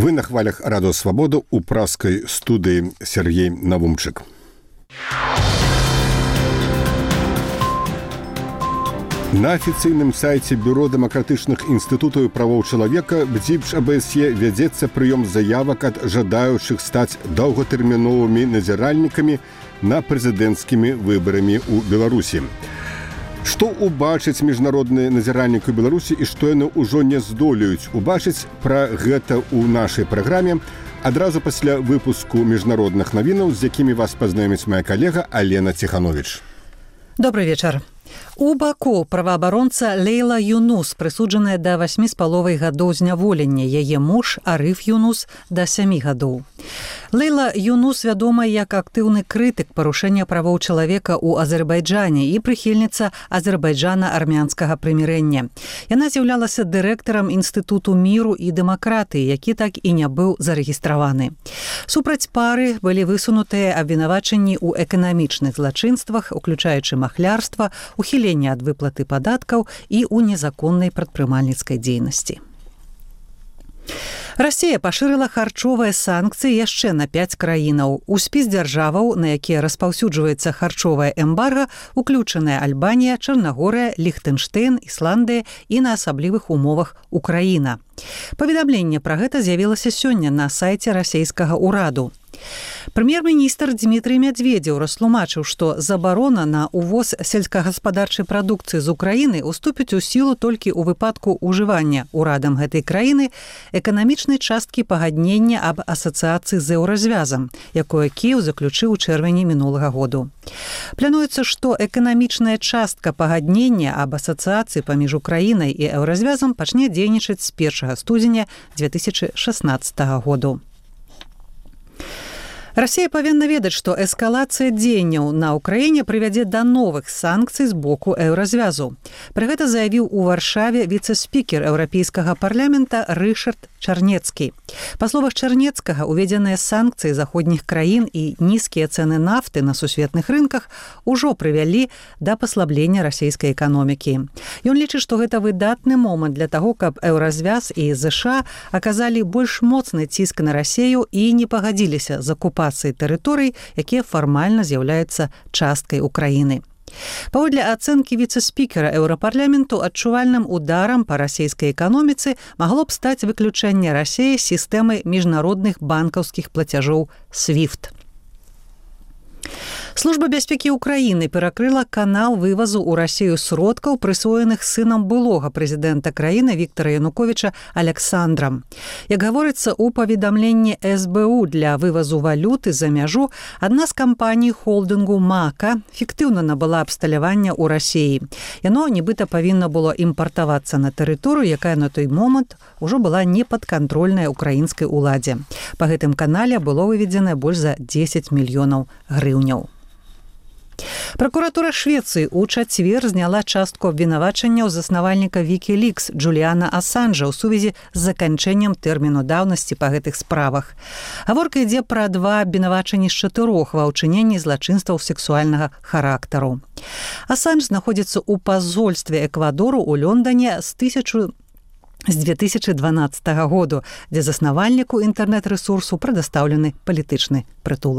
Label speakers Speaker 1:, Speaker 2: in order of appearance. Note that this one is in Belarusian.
Speaker 1: Вы на хвалях Радио Свобода у пражской студии Сергей Навумчик. На официальном сайте Бюро демократичных институтов и правов человека БДИПШ АБСЕ ведется прием заявок от жадающих стать долготерминовыми назиральниками на президентскими выборами у Беларуси. Што убачыць міжнародныя назіральнікі ў Беларусі і што яны ўжо не здолеюць убачыць, пра гэта ў нашай праграме адразу пасля выпуску міжнародных навінаў, з якімі вас пазнаёміць моя калега Алена Ціхановіч.
Speaker 2: Добрый вечар. У Баку праваабаронца Лейла Юнус прысуджаная да 8,5 гадоў зняволення, яе муж Ариф Юнус да 7 гадоў. Лейла Юнус вядома як актыўны крытык парушэння правоў чалавека ў Азербайджане і прыхільніца азербайджана-армянскага прымірэння. Яна з'яўлялася дырэктарам Інстытуту міру і дэмакратыі, які так і не быў зарэгістраваны. Супраць пары былі высунутыя абвінавачанні ў эканамічных злачынствах, уключаючы махлярства, ухіленне ад выплаты падаткаў і ў незаконнай прадпрымальніцкай дзейнасці. Расія пашырыла харчовыя санкцыі яшчэ на 5 краінаў. У спіс дзяржаваў, на якія распаўсюджваецца харчовае эмбарга, уключаныя Альбанія, Чарнагорыя, Ліхтэнштэйн, Ісландыя і на асаблівых умовах Украіна. Паведамленне пра гэта з'явілася сёння на сайце расійскага ўраду. Прэм'ер-міністр Дмітрый Медведзеў растлумачыў, што забарона на увоз сельскагаспадарчай прадукцыі з Украіны уступіць у сілу толькі ў выпадку ўжывання ўрадам гэтай краіны эканамічнай часткі пагаднення аб асацыяцыі з еўразвязам, якое Кіеў заключыў у чэрвені мінулага году. Плануецца, што эканамічная частка пагаднення аб асацыяцыі паміж Украінай і еўразвязам пачне дзейнічаць з 1 студзеня 2016 году. Расія павінна ведаць, што эскалацыя дзеянняў на ўкраіне прывядзе да новых санкцый з боку еўразвязу. Пра гэта заявіў у Варшаве віцэ-спікер Еўрапейскага парламента Рышард Чарнецкі. Па словах Чарнецкага, уведзеныя санкцыі заходніх краін і нізкія цэны нафты на сусветных рынках ужо прывялі да паслаблення расійскай эканомікі. Ён лічыць, што гэта выдатны момант для таго, каб еўразвяз і ЗША аказалі больш моцны ціск на Расію і не пагадзіліся з акупацыяй тэрыторый, якія фармальна з'яўляюцца часткай Украіны. Паводле ацэнкі віцэ-спікера Еўрапарламенту, адчувальным ударам па расійскай эканоміцы магло б стаць выключэнне Расіі з сістэмы міжнародных банкаўскіх плацяжоў SWIFT. Служба бяспекі Украіны перакрыла канал вывазу ў Расію сродкаў, прысвоеных сынам былога прэзідэнта краіны Віктара Януковіча Аляксандрам. Як гаворыцца ў паведамленні СБУ, для вывазу валюты за мяжу адна з кампаній холдынгу «Мака» фіктыўна набыла абсталявання ў Расіі. Яно нібыта павінна было імпартавацца на тэрыторыю, якая на той момант ужо была непадкантрольная украінскай уладзе. Па гэтым канале было выведзена больш за 10 мільёнаў грыўняў. Пракуратура Швецыі ў чацвер зняла частку абвінавачанняў заснавальніка Wikileaks Джуліана Асанжа ў сувязі з заканчэннем тэрміну даўнасці па гэтых справах. Гаворка ідзе пра 2 абвінавачанні з 4 ва ўчыненні злачынстваў сексуальнага характару. Асанж знаходзіцца ў пазольстве Эквадору ў Лондоне з 2012 году, дзе заснавальніку інтэрнэт-рэсурсу прадастаўлены палітычны прытулак.